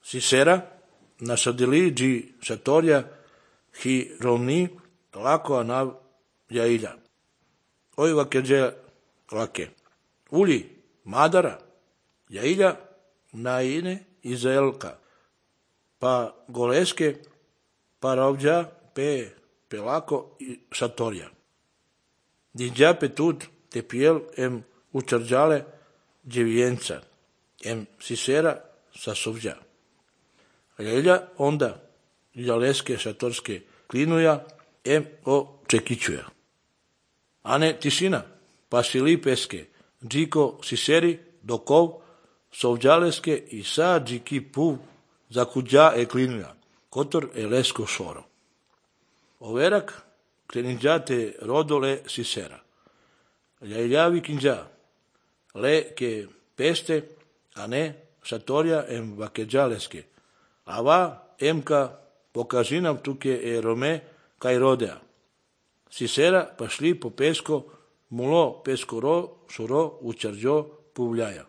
Sisera, nasадили джи шаторя хи ровни лако анав яиля. Ой вакедже лаке. Ули мадара яиля наине изелка. Па голеске па равджа пе пелако и шаторя. Диджа пе тут те пиел учарджале джевиенца. Сисера сасовджа. Яиля онда ялеске шаторske клинуя очекичуя. Ане тишина, пасили песке, джико сисери доков совджалеске и са джики пув закуджа клинуя, котор леско шоро. Оверак клинджа те родоле сисера. Яиляви кинджа, ле ке песте, ане шаторя вакеджалеске. Ава ка покажи нам туке роме кај родеа. Сисера пашли по песко, муло пескоро, шуро, учарджо, пувляја.